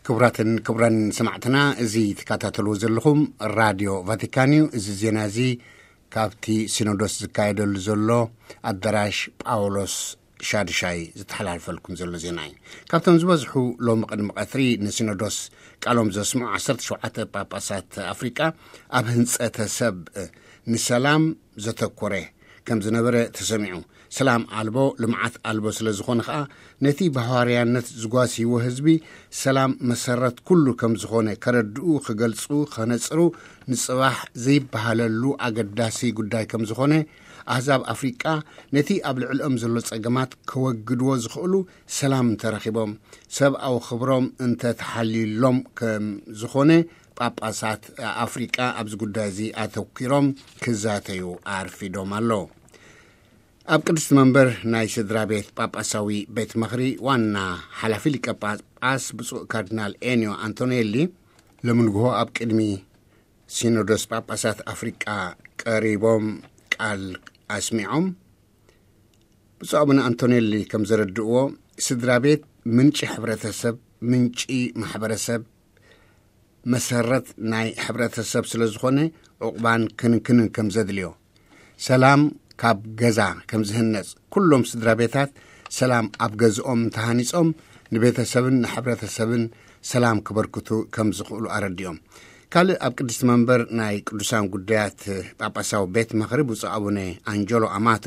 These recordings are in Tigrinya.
ክቡራትን ክቡራን ሰማዕትና፣ እዚ ትከታተልዎ ዘለኹም ራድዮ ቫቲካን እዩ። እዚ ዜና እዚ ካብቲ ሲኖዶስ ዝካየደሉ ዘሎ ኣዳራሽ ጳውሎስ ሻድሻይ ዝተሓላልፈልኩም ዘሎ ዜና እዩ። ካብቶም ዝበዝሑ ሎሚ ቅድሚ ቀትሪ ንሲኖዶስ ቃሎም ዘስምዑ ዓሰርተ ሸውዓተ ጳጳሳት ኣፍሪቃ ኣብ ህንጸተ ሰብ ንሰላም ዘተኮረ ከም ዝነበረ ተሰሚዑ። ሰላም ኣልቦ ልምዓት ኣልቦ ስለ ዝኾነ ኸኣ፣ ነቲ ብሃዋርያነት ዝጓስይዎ ህዝቢ ሰላም መሰረት ኩሉ ከም ዝኾነ ከረድኡ፣ ክገልጹ፣ ከነጽሩ ንጽባሕ ዘይበሃለሉ ኣገዳሲ ጉዳይ ከም ዝኾነ፣ ኣህዛብ ኣፍሪቃ ነቲ ኣብ ልዕልኦም ዘሎ ጸገማት ከወግድዎ ዝኽእሉ ሰላም እንተረኺቦም፣ ሰብኣዊ ክብሮም እንተተሓልዩሎም ከም ዝኾነ ጳጳሳት ኣፍሪቃ ኣብዚ ጉዳይ እዚ ኣተኲሮም ክዛተዩ ኣርፊዶም ኣለዉ። ኣብ ቅድስቲ መንበር ናይ ስድራ ቤት ጳጳሳዊ ቤት ምኽሪ ዋና ሓላፊ ሊቀ ጳጳስ ብፁዕ ካርዲናል ኤንዮ ኣንቶኔሊ፣ ሎሚ ንግሆ ኣብ ቅድሚ ሲኖዶስ ጳጳሳት ኣፍሪቃ ቀሪቦም ቃል ኣስሚዖም። ብፁዕ ኣቡነ ኣንቶኔሊ ከም ዘረድእዎ፣ ስድራ ቤት ምንጪ ሕብረተሰብ፣ ምንጪ ማሕበረሰብ፣ መሰረት ናይ ሕብረተሰብ ስለ ዝኾነ፣ ዕቑባን ክንክንን ከም ዘድልዮ፣ ሰላም ካብ ገዛ ከም ዝህነጽ፣ ኩሎም ስድራ ቤታት ሰላም ኣብ ገዝኦም ተሃኒጾም ንቤተሰብን ንሕብረተሰብን ሰላም ክበርክቱ ከም ዝኽእሉ ኣረዲኦም። ካልእ ኣብ ቅድስቲ መንበር ናይ ቅዱሳን ጉዳያት ጳጳሳዊ ቤት ምኽሪ ብፁዕ ኣቡነ ኣንጀሎ ኣማቶ፣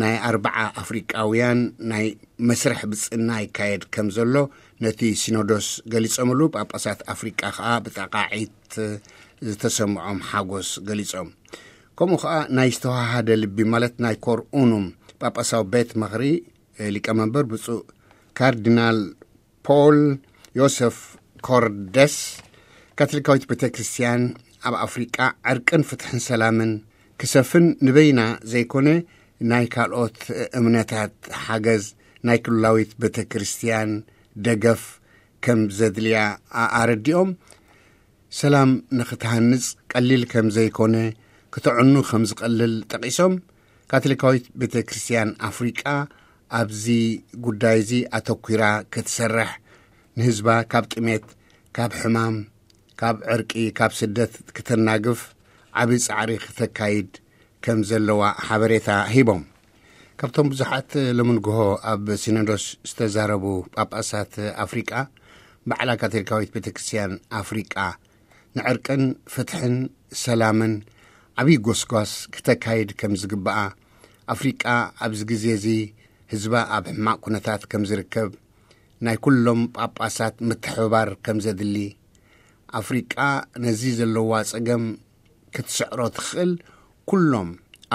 ናይ ኣርብዓ ኣፍሪቃውያን ናይ መስርሕ ብጽና ይካየድ ከም ዘሎ ነቲ ሲኖዶስ ገሊጾምሉ፣ ጳጳሳት ኣፍሪቃ ከኣ ብጠቓዒት ዝተሰምዖም ሓጎስ ገሊጾም። ከምኡ ከኣ ናይ ዝተዋሃደ ልቢ፣ ማለት ናይ ኮር ኡኑም ጳጳሳዊ ቤት ምኽሪ ሊቀመንበር ብፁዕ ካርዲናል ፖል ዮሰፍ ኮርደስ፣ ካቶሊካዊት ቤተ ክርስቲያን ኣብ ኣፍሪቃ ዕርቅን ፍትሕን ሰላምን ክሰፍን ንበይና ዘይኮነ፣ ናይ ካልኦት እምነታት ሓገዝ፣ ናይ ክልላዊት ቤተ ክርስቲያን ደገፍ ከም ዘድልያ ኣረዲኦም። ሰላም ንኽትሃንጽ ቀሊል ከም ዘይኮነ፣ ክተዕኑ ከም ዝቐልል ጠቒሶም፣ ካቶሊካዊት ቤተ ክርስቲያን ኣፍሪቃ ኣብዚ ጉዳይ እዚ ኣተኲራ ክትሰርሕ፣ ንህዝባ ካብ ጥሜት፣ ካብ ሕማም፣ ካብ ዕርቂ፣ ካብ ስደት ክተናግፍ ዓቢ ጻዕሪ ክተካይድ ከም ዘለዋ ሓበሬታ ሂቦም። ካብቶም ብዙሓት ሎሚ ንግሆ ኣብ ሲኖዶስ ዝተዛረቡ ጳጳሳት ኣፍሪቃ፣ ባዕላ ካቶሊካዊት ቤተ ክርስቲያን ኣፍሪቃ ንዕርቅን ፍትሕን ሰላምን ዓብዪ ጎስጓስ ክተካይድ ከም ዝግብኣ፣ ኣፍሪቃ ኣብዚ ግዜ እዚ ህዝባ ኣብ ሕማቕ ኩነታት ከም ዝርከብ፣ ናይ ኩሎም ጳጳሳት ምትሕብባር ከም ዘድሊ፣ ኣፍሪቃ ነዚ ዘለዋ ጸገም ክትስዕሮ ትኽእል፣ ኩሎም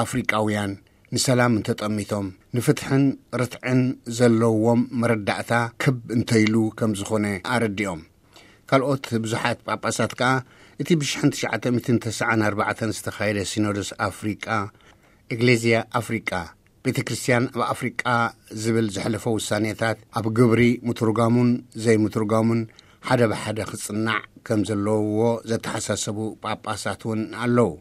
ኣፍሪቃውያን ንሰላም እንተጠሚቶም፣ ንፍትሕን ርትዕን ዘለዎም መረዳእታ ክብ እንተይሉ ከም ዝኾነ ኣረዲኦም። ካልኦት ብዙሓት ጳጳሳት ከኣ፣ እቲ ብሽሕን ትሽዓተ ሚእትን ተስዓን ኣርባዕተን ዝተኻየደ ሲኖዶስ ኣፍሪቃ፣ ኤግሌዝያ ኣፍሪቃ፣ ቤተ ክርስቲያን ኣብ ኣፍሪቃ ዝብል ዘሕለፎ ውሳኔታት ኣብ ግብሪ ምትርጓሙን ዘይምትርጓሙን ሓደ ብሓደ ክጽናዕ ከም ዘለውዎ ዘተሓሳሰቡ ጳጳሳት እውን ኣለዉ።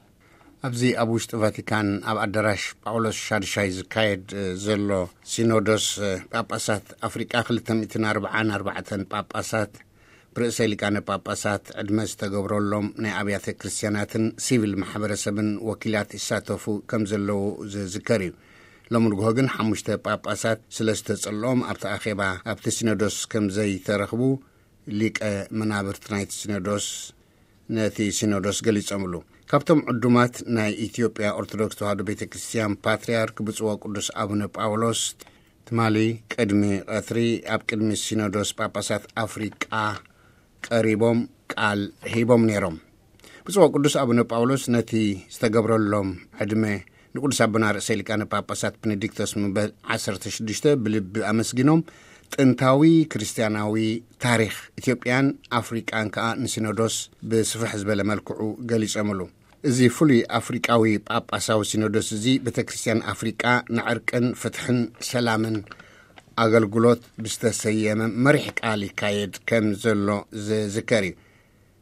ኣብዚ ኣብ ውሽጢ ቫቲካን ኣብ ኣዳራሽ ጳውሎስ ሻድሻይ ዝካየድ ዘሎ ሲኖዶስ ጳጳሳት ኣፍሪቃ፣ ክልተ ሚእትን ኣርባዓን ኣርባዕተን ጳጳሳት ብርእሰ ሊቃነ ጳጳሳት ዕድመ ዝተገብረሎም ናይ ኣብያተ ክርስቲያናትን ሲቪል ማሕበረሰብን ወኪላት ይሳተፉ ከም ዘለዉ ዝዝከር እዩ። ሎሚ ንግሆ ግን ሓሙሽተ ጳጳሳት ስለ ዝተጸልኦም ኣብቲ ኣኼባ ኣብቲ ሲኖዶስ ከም ዘይተረኽቡ ሊቀ መናብርት ናይቲ ሲኖዶስ ነቲ ሲኖዶስ ገሊጾምሉ። ካብቶም ዕዱማት ናይ ኢትዮጵያ ኦርቶዶክስ ተዋህዶ ቤተ ክርስቲያን ፓትርያርክ ብፁዕ ወቅዱስ ኣቡነ ጳውሎስ ትማሊ ቅድሚ ቀትሪ ኣብ ቅድሚ ሲኖዶስ ጳጳሳት ኣፍሪቃ ቀሪቦም ቃል ሂቦም ነይሮም። ብፁዕ ወቅዱስ ኣቡነ ጳውሎስ ነቲ ዝተገብረሎም ዕድመ ንቅዱስ ኣቦና ርእሰ ሊቃነ ጳጳሳት ቤኔዲክቶስ ምበል ዓሰርተ ሽዱሽተ ብልቢ ኣመስጊኖም፣ ጥንታዊ ክርስቲያናዊ ታሪኽ ኢትዮጵያን ኣፍሪቃን ከኣ ንሲኖዶስ ብስፍሕ ዝበለ መልክዑ ገሊጾምሉ። እዚ ፍሉይ ኣፍሪቃዊ ጳጳሳዊ ሲኖዶስ እዚ ቤተ ክርስቲያን ኣፍሪቃ ንዕርቅን ፍትሕን ሰላምን ኣገልግሎት ብዝተሰየመ መሪሕ ቃል ይካየድ ከም ዘሎ ዝዝከር እዩ።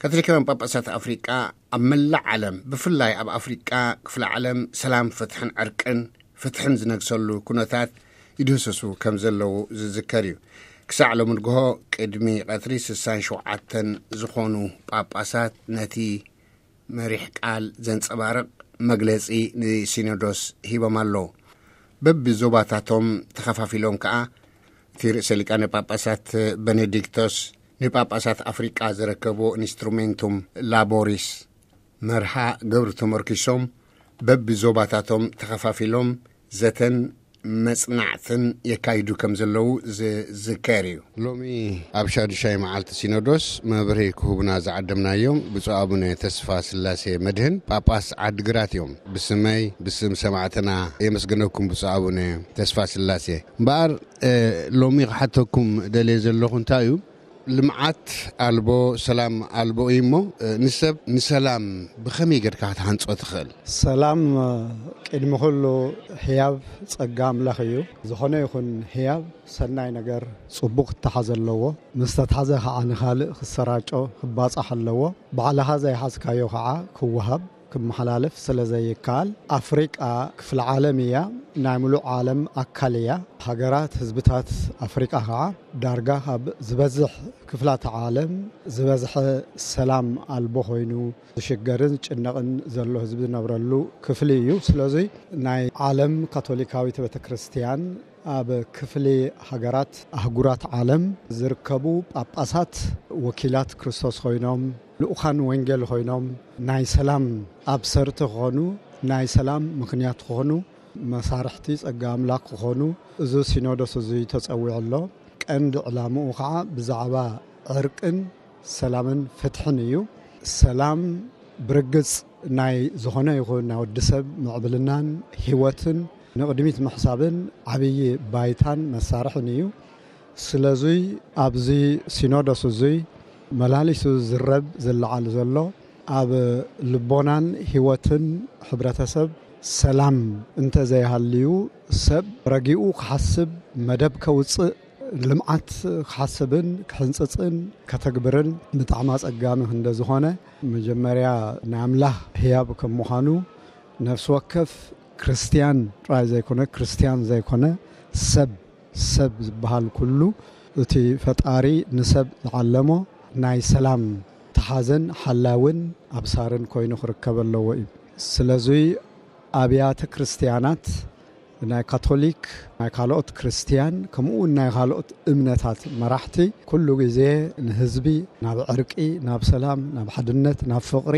ካቶሊካውያን ጳጳሳት ኣፍሪቃ ኣብ መላእ ዓለም፣ ብፍላይ ኣብ ኣፍሪቃ ክፍለ ዓለም፣ ሰላም፣ ፍትሕን ዕርቅን፣ ፍትሕን ዝነግሰሉ ኩነታት ይድህስሱ ከም ዘለዉ ዝዝከር እዩ። ክሳዕ ሎሚ ንግሆ ቅድሚ ቀትሪ ስሳን ሸውዓተን ዝኾኑ ጳጳሳት ነቲ መሪሕ ቃል ዘንጸባርቕ መግለጺ ንሲኖዶስ ሂቦም ኣለዉ። በብዞባታቶም ተኸፋፊሎም ከኣ እቲ ርእሰ ሊቃነ ጳጳሳት በኔዲክቶስ ንጳጳሳት ኣፍሪቃ ዘረከቦ ኢንስትሩሜንቱም ላቦሪስ መርሃ ግብሪ ተመርኪሶም በብዞባታቶም ተኸፋፊሎም ዘተን መጽናዕትን የካይዱ ከም ዘለዉ ዝዝከር እዩ። ሎሚ ኣብ ሻዱሻይ መዓልቲ ሲኖዶስ መብርሂ ክህቡና ዝዓደምናዮም ብፁዕ ኣቡነ ተስፋ ስላሴ መድህን ጳጳስ ዓድግራት እዮም። ብስመይ፣ ብስም ሰማዕትና የመስግነኩም ብፁዕ ኣቡነ ተስፋ ስላሴ። እምበኣር እ፣ ሎሚ ክሓተኩም ደልየ ዘለኹ እንታይ እዩ? ልምዓት ኣልቦ፣ ሰላም ኣልቦ እዩ እሞ፣ እ፣ ንሰብ ንሰላም ብኸመይ ጌርካ ክትሃንጾ ትኽእል? ሰላም፣ እ፣ ቅድሚ ኩሉ ህያብ ጸጋ ኣምላኽ እዩ። ዝኾነ ይኹን ህያብ ሰናይ ነገር፣ ጽቡቕ ክተሓዝ ኣለዎ። ምስ ተትሓዘ ኸዓ ንኻልእ ክሰራጮ፣ ክባጻሕ ኣለዎ። ባዕልኻ ዘይሓዝካዮ ኸዓ ክወሃብ፣ ክመሓላለፍ ስለ ዘይከኣል፣ ኣፍሪቃ ክፍለ ዓለም እያ፣ ናይ ምሉእ ዓለም ኣካል እያ። ሃገራት፣ ህዝብታት ኣፍሪቃ ኸዓ ዳርጋ ካብ ዝበዝሕ ክፍላተ ዓለም ዝበዝሐ ሰላም ኣልቦ ኮይኑ ዝሽገርን ዝጭነቕን ዘሎ ህዝቢ ዝነብረሉ ክፍሊ እዩ። ስለዚ ናይ ዓለም ካቶሊካዊት ቤተ ክርስቲያን ኣብ ክፍሊ ሃገራት ኣህጉራት ዓለም ዝርከቡ ጳጳሳት ወኪላት ክርስቶስ ኮይኖም፣ ልኡኻን ወንጌል ኮይኖም፣ ናይ ሰላም ኣብሰርቲ ክኾኑ፣ ናይ ሰላም ምኽንያት ክኾኑ፣ መሳርሕቲ ጸጋ ኣምላኽ ክኾኑ፣ እዚ ሲኖዶስ እዚ ተጸዊዑ ኣሎ። ቀንዲ ዕላምኡ ኸዓ ብዛዕባ ዕርቅን ሰላምን ፍትሕን እዩ። ሰላም ብርግጽ ናይ ዝኾነ ይኹን ናይ ወዲ ሰብ ምዕብልናን ህይወትን ንቕድሚት ምሕሳብን ዓብዪ ባይታን መሳርሕን እዩ። ስለዙይ ኣብዚ ሲኖዶስ እዙይ መላሊሱ ዝረብ ዝለዓል ዘሎ ኣብ ልቦናን ህይወትን ሕብረተሰብ ሰላም እንተ ዘይሃልዩ ሰብ ረጊኡ ክሓስብ፣ መደብ ከውፅእ፣ ልምዓት ክሓስብን ክሕንፅፅን ከተግብርን ብጣዕሚ ኣፀጋሚ እንደ ዝኾነ መጀመርያ ናይ ኣምላኽ ህያብ ከም ምዃኑ ነፍሲ ወከፍ ክርስትያን ጥራይ ዘይኮነ፣ ክርስትያን ዘይኮነ ሰብ፣ ሰብ ዝበሃል ኩሉ እቲ ፈጣሪ ንሰብ ዝዓለሞ ናይ ሰላም ተሓዘን ሓላውን ኣብሳርን ኮይኑ ክርከብ ኣለዎ እዩ። ስለዚ ኣብያተ ክርስትያናት ናይ ካቶሊክ፣ ናይ ካልኦት ክርስትያን፣ ከምኡ እውን ናይ ካልኦት እምነታት መራሕቲ ኩሉ ግዜ ንህዝቢ ናብ ዕርቂ፣ ናብ ሰላም፣ ናብ ሓድነት፣ ናብ ፍቕሪ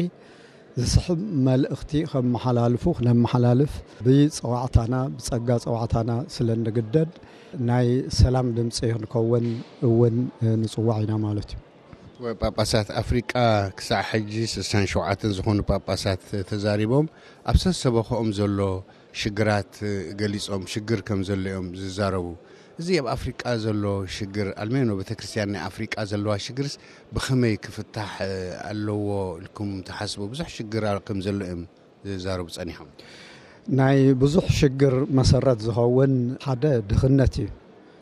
ዝስሕብ መልእኽቲ ከመሓላልፉ ክነመሓላልፍ ብጸዋዕታና፣ ብጸጋ ጸዋዕታና ስለ እንግደድ ናይ ሰላም ድምፂ ክንከውን እውን ንጽዋዕ ኢና ማለት እዩ። ጳጳሳት ኣፍሪቃ ክሳዕ ሕጂ ስሳን ሸውዓተን ዝኾኑ ጳጳሳት ተዛሪቦም ኣብ ሰሰበኸኦም ዘሎ ሽግራት ገሊጾም ሽግር ከም ዘሎ እዮም ዝዛረቡ። እዚ ኣብ ኣፍሪቃ ዘሎ ሽግር ኣልሜኖ ቤተክርስትያን ናይ ኣፍሪቃ ዘለዋ ሽግርስ ብኸመይ ክፍታሕ ኣለዎ ኢልኩም ትሓስቡ? ብዙሕ ሽግር ከም ዘሎ እዮም ዝዛረቡ ጸኒሖም። ናይ ብዙሕ ሽግር መሰረት ዝኸውን ሓደ ድኽነት እዩ።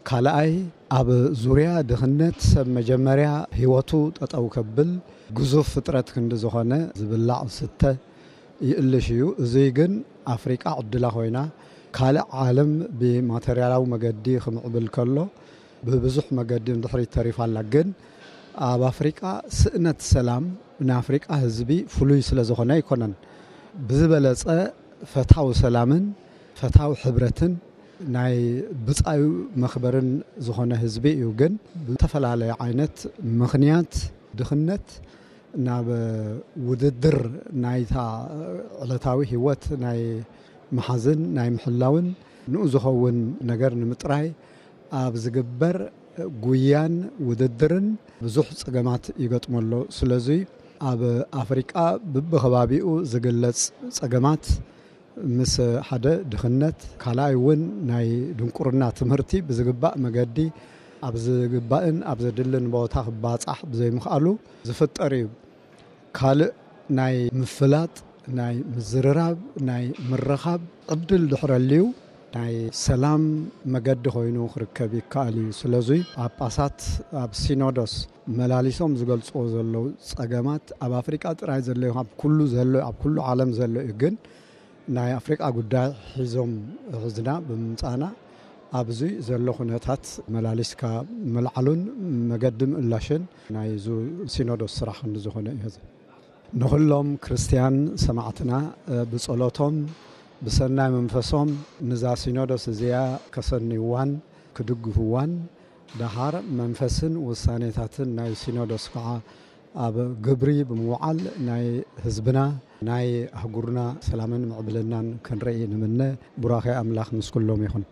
ካልኣይ ኣብ ዙርያ ድኽነት ሰብ መጀመርያ ህይወቱ ጠጠው ከብል ግዙፍ ፍጥረት ክንዲ ዝኾነ ዝብላዕ ዝስተ ይእልሽ እዩ። እዙይ ግን ኣፍሪቃ ዕድላ ኮይና ካልእ ዓለም ብማተርያላዊ መገዲ ክምዕብል ከሎ ብብዙሕ መገዲ ንድሕሪት ተሪፋ ኣላ። ግን ኣብ ኣፍሪቃ ስእነት ሰላም ንኣፍሪቃ ህዝቢ ፍሉይ ስለ ዝኾነ ኣይኮነን። ብዝበለጸ ፈታዊ ሰላምን ፈታዊ ሕብረትን ናይ ብጻዩ መኽበርን ዝኾነ ህዝቢ እዩ። ግን ብዝተፈላለየ ዓይነት ምኽንያት ድኽነት ናብ ውድድር ናይታ ዕለታዊ ህይወት ናይ ምሓዝን ናይ ምሕላውን ንኡ ዝኸውን ነገር ንምጥራይ ኣብ ዝግበር ጉያን ውድድርን ብዙሕ ጸገማት ይገጥሞ ኣሎ። ስለዚ ኣብ ኣፍሪቃ ብብኸባቢኡ ዝግለጽ ጸገማት ምስ ሓደ ድኽነት፣ ካልኣይ እውን ናይ ድንቁርና ትምህርቲ ብዝግባእ መገዲ ኣብ ዝግባእን ኣብ ዘድልን ቦታ ክባጻሕ ብዘይምኽኣሉ ዝፍጠር እዩ። ካልእ ናይ ምፍላጥ፣ ናይ ምዝርራብ፣ ናይ ምርኻብ ዕድል ድሕረልዩ ናይ ሰላም መገዲ ኮይኑ ክርከብ ይከኣል እዩ። ስለዚ ጳጳሳት ኣብ ሲኖዶስ መላሊሶም ዝገልጽዎ ዘለዉ ጸገማት ኣብ ኣፍሪቃ ጥራይ ዘሎ እዩ፣ ኣብ ኩሉ ዘሎ፣ ኣብ ኩሉ ዓለም ዘሎ እዩ። ግን ናይ ኣፍሪቃ ጉዳይ ሒዞም ሕዝና ብምምጻና ኣብዚ ዘሎ ኩነታት መላሊስካ ምልዓሉን መገዲ ምእላሽን ናይ ዙ ሲኖዶስ ስራሕ ክንዲ ዝኾነ እዩ። ንኹሎም ክርስትያን ሰማዕትና ብጸሎቶም ብሰናይ መንፈሶም ንዛ ሲኖዶስ እዚኣ ከሰንይዋን ክድግፍዋን፣ ደሓር መንፈስን ውሳኔታትን ናይ ሲኖዶስ ከዓ ኣብ ግብሪ ብምውዓል ናይ ህዝብና ናይ ኣህጉርና ሰላምን ምዕብልናን ክንርኢ ንምነ። ቡራኬ ኣምላኽ ምስ ኩሎም ይኹን።